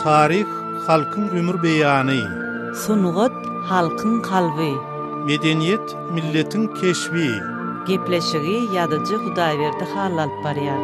Taryh halkyň ömür beýany. Sungat halkyň kalby. Medeniýet milletiň keşbi. Gepleşigi ýazyjy Hudaýberdi Hally alyp barýar.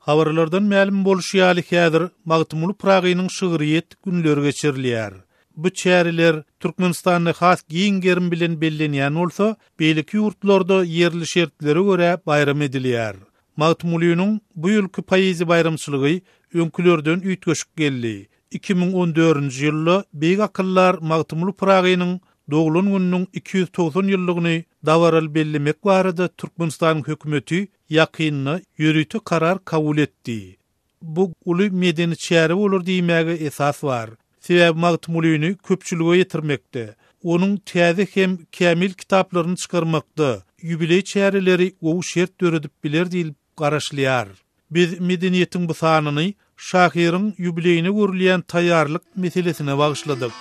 Habarlardan mälim bolşy ýaly häzir Magtymguly Pyragynyň şygryýet günleri geçirilýär. Bu çäreler Türkmenistanda has giň gerim bilen bellenýän bolsa, beýleki ýurtlarda ýerli şertlere görä baýram edilýär. Magtymgulynyň bu ýylky poeziýa baýramçylygy öňkülerden üýtgeşik geldi. 2014-nji ýylda beýik akyldar Magtymguly Pyragynyň doglan gününiň 290 ýyllygyny dabaraly bellemek barada Türkmenistanyň hökümeti ýakynda ýörite karar kabul etdi. Bu uly medeni çäre bolar diýmäge esas bar. Sebäbi Magtymgulyny köpçülige ýetirmekde, onuň täze hem kämil kitaplaryny çykarmakda ýubileý çäreleri gowy şert döredip biler diýlip garaşylýar. Biz Medeniýetiň bu sanyny şahyryň ýubileýine görülýän taýýarlyk meselesine bagyşladyk.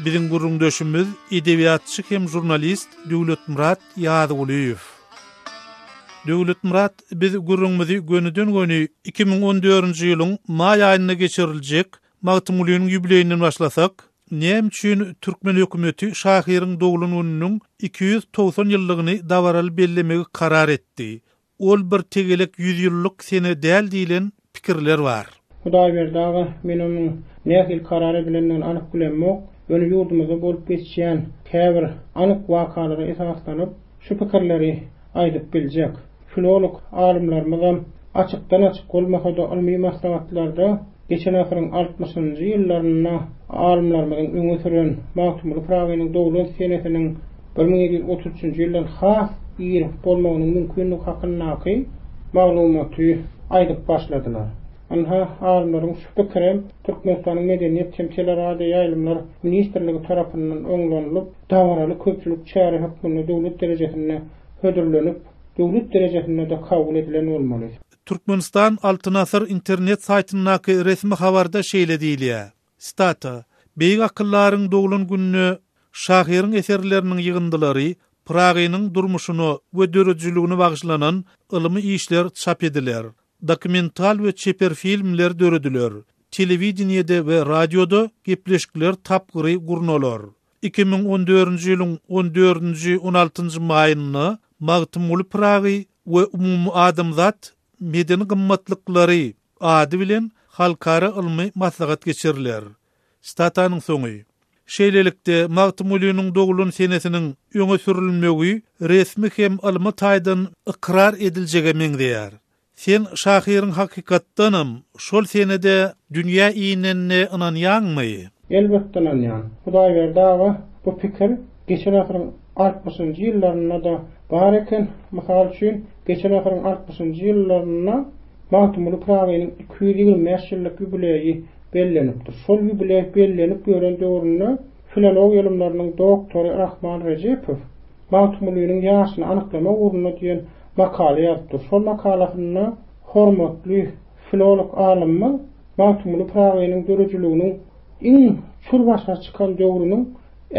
Biziň gürrüňdeşimiz edebiýatçy hem žurnalist Döwletmyrat Ýazgulyýew. Döwletmyrat, biz gürrüňimizi gönüden-göni 2014-nji ýylyň maý aýynda geçiriljek Magtymgulynyň ýubileýinden başlasak, näme üçin türkmen hökümeti şahyryň doglan gününiň 290 ýyllygyny dabaraly bellemegi karar etdi? Ol bir tegelek ýüzýyllyk sene däl diýlen pikirler bar. Hudaýberdi aga, men onuň nähili karar edilendigini anyk bilemok, ýöne ýurdumyzda bolup geçýän käbir anyk wakalara esaslanyp, şu pikirleri aýdyp biljek. Filolog alymlarymyzam açykdan-açyk bolmasa-da ylmy maslahatlarda geçen asyryň altmyşynjy ýyllarynda alymlarymyzyň öňe süren Magtymguly Pyragynyň doglan senesiniň 1733-nji ýyldan has ir bolmagynyň mümkinligi hakyndaky maglumaty aýdyp başladylar. Ynha, alymlaryň şu pikirem Türkmenistanyň Medeniýet hem teleradioýaýlymlar ministrligi tarapyndan oňlanylyp, dabaraly köpçülik çäre hökmünde döwlet derejesinde hödürlenip, döwlet derejesinde-de kabul edilen bolmaly. Türkmenistan Altyn Asyr internet saýtyndaky resmi habarda şeýle diýilýär, Sitata, Beýik akyldaryň doglan gününe şahyryň eserleriniň ýygyndylary, Pyragynyň durmuşyna we döredijiligine bagyşlanan ylmy işler çap ediler, dokumental we çeper filmler dörediler, telewideniýede we radioda gepleşikler tapgyry gurnalar. 2014-nji ýylyň on dördünji, on altynjy maýynda Magtymguly Pyragy we umumadamzat medeni gymmatlyklary ady bilen halkara ylmy maslahat geçiriler. Statanyň soňy. Şeýlelikde, Magtymgulynyň doglan senesiniň öňe sürülmegi resmi hem ylmy taýdan ykrar ediljege meňzeýär. Sen şahyryň hakykatdanam şol senede dünýä inenine ynanýaňmy? Elbetde ynanýan. Hudaýberdi aga, bu pikir geçen asyryň altmyşynjy ýyllarynda-da bar eken. Mysal üçin, geçen asyryň altmyşynjy ýyllarynda Magtymguly Pyragynyň 225 ýyllyk ýubileýi bellenipdir. Şol ýubileý bellenip ýören döwründe filologiýa ylymlarynyň doktory Rahman Rejepow Magtymgulynyň ýaşyny anyklamak ugrunda diýen makala ýazypdyr. Şol makalasynda hormatly filolog alymymyz Magtymguly Pyragynyň döredijiliginiň iň çür başa çykan döwrüniň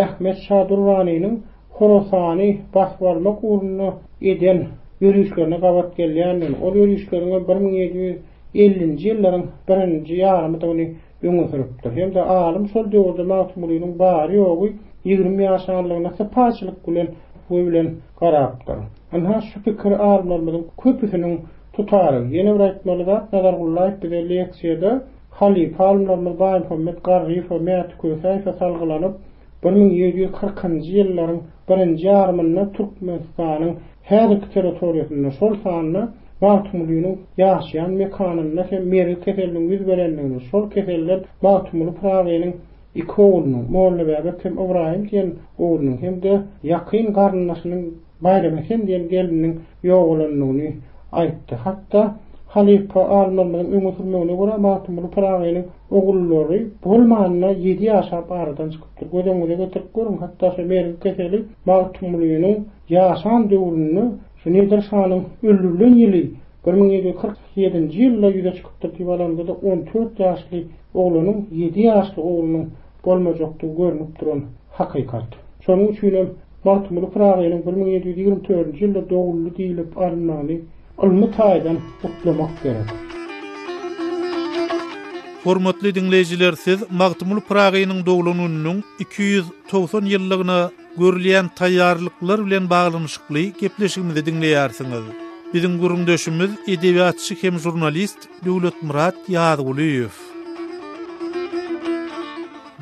Ahmet şa Durranynyň Horasany basyp almak ugrunda eden ýörişlerine gabat gelýändigini, ol ýörişleriňem 1750-nji ýyllaryň birinji ýarymydygyny öňe sürüpdir. Hem-de alym şol döwürde Magtymgulynyň bary-ýogy 20 ýaşanlygyna sypaýyçylyk bilen we bilen garapdyr. Ynha, şu pikir alymlarymyzyň köpüsiniň tutarygy. Ýene bir aýtmaly zat, Nazar Gullaýew bize leksiýada halypa alymlarymyz Baýmuhammet Garryýewe, Mäti Kösäýewe salgylanyp, 1740-njy ýyllaryň birinji ýarymynda Türkmenistanyň häzirki territoriýasynda, şol sanda Magtymgulynyň ýaşaýan mekanynda hem mergi keseliniň ýüz berendigini, şol keselden Magtymguly Pyragynyň iki oglunyň, Mollabäbek hem Ybraýym diýen oglunyň hem-de ýakyn garyndaşynyň Baýramesen diýen gelniniň ýogalandygyny aýtdy. Hatda halypa alymlarymyzyň öňe sürmegine görä, Magtymguly Pyragynyň ogullary bolmanda ýedi ýaşap aradan çykypdyr. Göz öňüňize getirip görüň, hatda şu mergi keseli Magtymgulynyň ýaşan döwründe şu Nedir şanyň öldürilen ýyly 1747-nji ýylda ýüze çykypdyr diýip alanda-da 14 ýaşly oglanyň ýedi ýaşly oglunyň bolmajakdygy görnüp duran hakykat. Şonuň üçinem Magtymguly Pyragynyň 1724-nji ýylda doguldy diýlip alynmagyny. ylmy taýdan gutlamak gerek. Hormatly diňleýjiler siz Magtymguly Pyragynyň doglan gününiň 290 ýyllygyna görülýän taýýarlyklar bilen baglanyşykly gepleşigimizi diňleýärsiňiz. Biziň gürrüňdeşimiz edebiýatçy hem žurnalist Döwletmyrat Ýazgulyýew.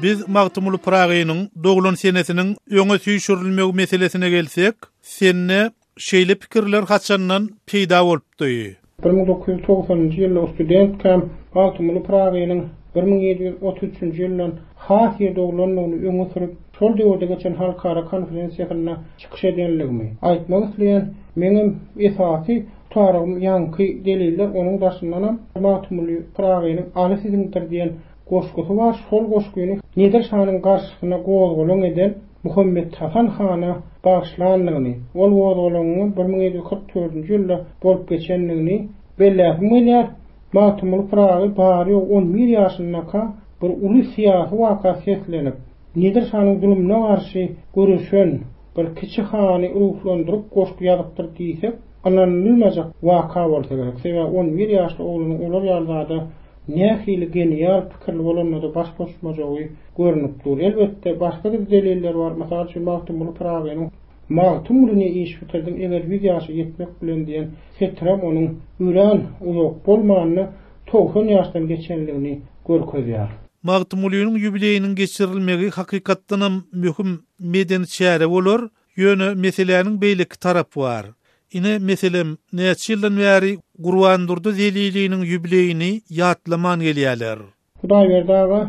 Biz Magtymguly Pyragynyň doglan senesiniň öňe süýşürilmegi meselesine gelsek, sende şeýle pikirler haçandan peýda bolupdy? 1990-njy ýylda studentkäm Magtymguly Pyragynyň 1733-nji ýyldan has ir doglandygyny öňe sürüp, şol döwürde geçen halkara konferensiýasynda çykyş edenligimi aýtmak isleýän. Meňem esasy tutarygym ýaňky deliller, onuň daşyndanam Magtymguly Pyragynyň Aly siziňdir diýen Goşgusy bar, şol goşgyny Nedir şanyň garşysyna gozgalaň eden Muhammethasan hana bagyşlandygyny, ol gozgalaňyň 1744-nji ýylda bolup geçendigini belläsim gelýär. Magtymguly Pyragy bary-ýogy on bir ýaşyndaka bir uly syýasy waka seslenip, Nedir şanyň zulumyna garşy göreşen bir kiçi hany ruhlandyryp goşgy ýazypdyr diýsek, ynanylmajak waka bolsa gerek. Sebäbi on bir ýaşly oglanyň olar ýaly zada Nähili genial pikirli bolanda-da baş goşmajagy görnüp dur. Elbetde, başga-da deliller bar. Mysal üçin, Magtymguly Pyragynyň Magtymguly ne iş bitirdiň, eger ýüz ýaşa ýetmek bilen diýen setirem onuň örän uzak bolmanda 90 ýaşdan geçenligini görkezýär. Magtymgulynyň ýubileýiniň geçirilmegi hakykatdanam möhüm medeni çäre bolar, Ýöne meseläniň beýleki tarapy bar. Ine, meselem, näçe ýyldan bäri Gurbandurdy Zeliliniň ýubileýini ýatlaman gelýärler. Hudaýberdi aga,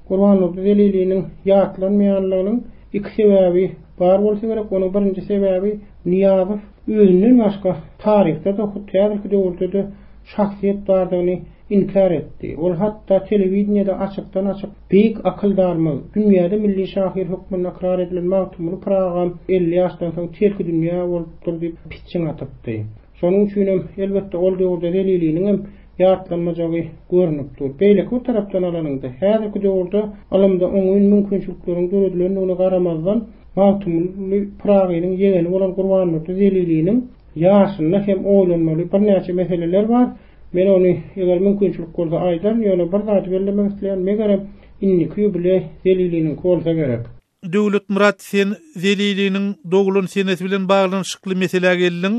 Gurbandurdy Zeliliniň ýatlanmaýanlygynyň iki sebäbi bar bolsa gerek. Onuň birinji sebäbi Nyýazow özünden başga taryhda-da, hut häzirki döwürde-de şahsyýet bardygyny inkär etdi. Ol hatda telewideniýede açykdan-açyk beýik akyldarymyz, dünýäde milli şahyr hökmünde ykrar edilen Magtymguly Pyragam 50 ýaşdan soň terkidünýä bolupdyr diýip pitjiň atypdy. Şonuň üçinem, elbetde, ol döwürde Zeliliniňem ýatlanmajagy görnüp dur. Beýleki bir tarapdan alanyňda, häzirki döwürde ylymda oňyn mümkinçilikleriň döredilendigine garamazdan, Magtymguly Pyragynyň ýegeni bolan Gurbandurdy Zeliliniň Ýaşynda hem oýlanmaly birnäçe meseleler bar. Men ony, eger mümkinçilik bolsa aýdaryn, ýöne bir zady bellemek isleýän, megerem, indiki ýubileý Zeliliniňki bolsa gerek. Döwletmyrat, sen Zeliliniň doglan senesi bilen baglanyşykly meselä geldiň.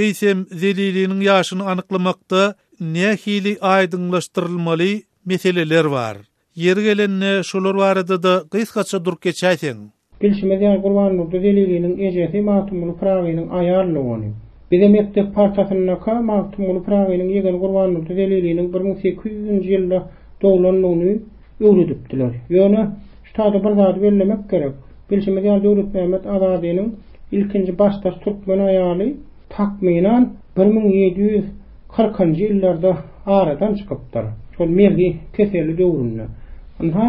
Eýsem, Zeliliniň ýaşyny anyklamakda nähili aýdyňlaşdyrylmaly meseleler bar? Ýeri gelende, şolar barada-da gysgaça durup geçäýseň. Bilşimiz ýaly, Gurbandurdy Zeliliniň ejesi Magtymguly Pyragynyň aýal dogany. Bize mekdep partasyndaka Magtymguly Pyragynyň ýegeni Gurbandurdy Zeliliniň 1800-nji ýylda doglandygyny öwredipdiler. Ýöne, şu taýda bir zady bellemek gerek. Bilşimiz ýaly, Döwletmämmet Azadynyň ilkinji başdaş türkmen aýaly takmynan 1740-njy ýyllarda aradan çykypdyr. Şol mergi keselli döwründe. Ynha,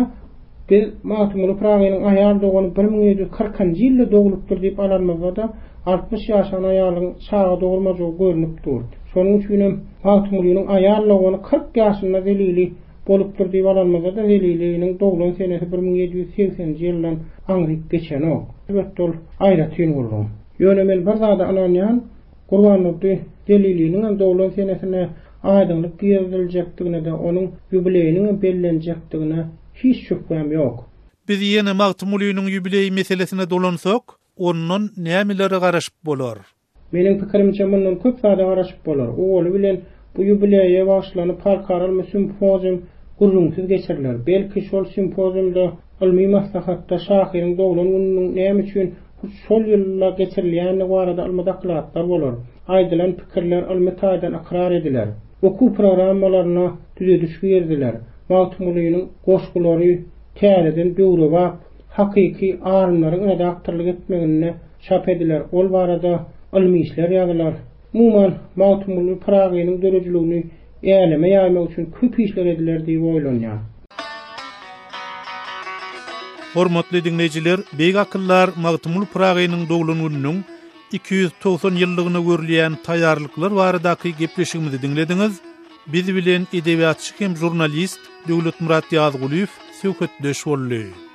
Biz Magtymguly Pyragynyň aýal dogany 1740-njy ýylda doglupdyr diýip alanymyzda-da, 60 ýaşan aýalyň çaga dogurmajagy görnüp dur. Şonuň üçinem Magtymgulynyň aýal dogany 40 ýaşynda Zelili bolupdyr diýip alanymyzda-da Zeliliniň doglan senesi 1780-nji ýyldan aňryk geçenok. Elbetde ol aýratyn gürrüň. Ýöne men bir zada ynanýan, Gurbandurdy Zeliliniňem doglan senesine aýdyňlyk giriziljekdigine-de, onuň ýubileýiniňem bellenjekdigine hiç şübhäm ýok. Biz ýene Magtymgulynyň ýubileý meselesine dolansak, ondan nämelere garaşyp bolar? Meniň pikirimçe, mundan köp zada garaşyp bolar. Owaly bilen, bu ýubileýe bagyşlanyp halkara ylmy simpozium gürrüňsiz geçiriler. Belki, şol simpoziumda, ylmy maslahatda şahyryň doglan gününiň näme üçin hut şol ýylda geçirilýändigi barada ylmy dokladlar bolar. Aýdylan pikirler ylmy taýdan ykrar ediler. Okuw programmalaryna düzediş giriziler. Magtymgulynyň goşgulary täzeden döwrebap, hakyky alymlaryň redaktorlyk etmeginde çap ediler, ol barada ylmy işler ýazylar. Umuman, Magtymguly Pyragynyň döredijiligini äleme ýaýmak üçin köp işler ediler diýip oýlanýan. Hormatly diňleýjiler, beýik akyldar Magtymguly Pyragynyň doglan gününiň 290 ýyllygyna görülýän taýýarlyklar baradaky gepleşigimizi diňlediňiz. Biz bilen edebiýatçy hem žurnalist Döwletmyrat Ýazgulyýew söhbetdeş boldy.